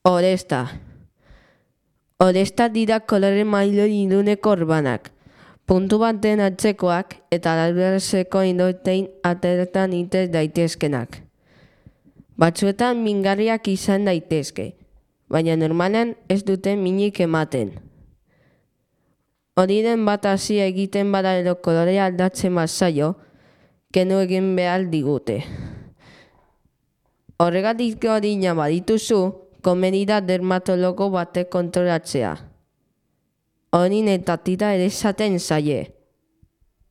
Oresta. Oresta dira kolore mailoi iluneko orbanak. Puntu baten atzekoak eta larberazeko indotein ateretan itez daitezkenak. Batzuetan mingarriak izan daitezke, baina normalean ez dute minik ematen. Horiren bat hasi egiten bada edo kolorea aldatzen bazaio, kenu egin behar digute. Horregatik gorina badituzu, komeni da dermatologo batek kontrolatzea. Horin eta tira ere esaten zaie.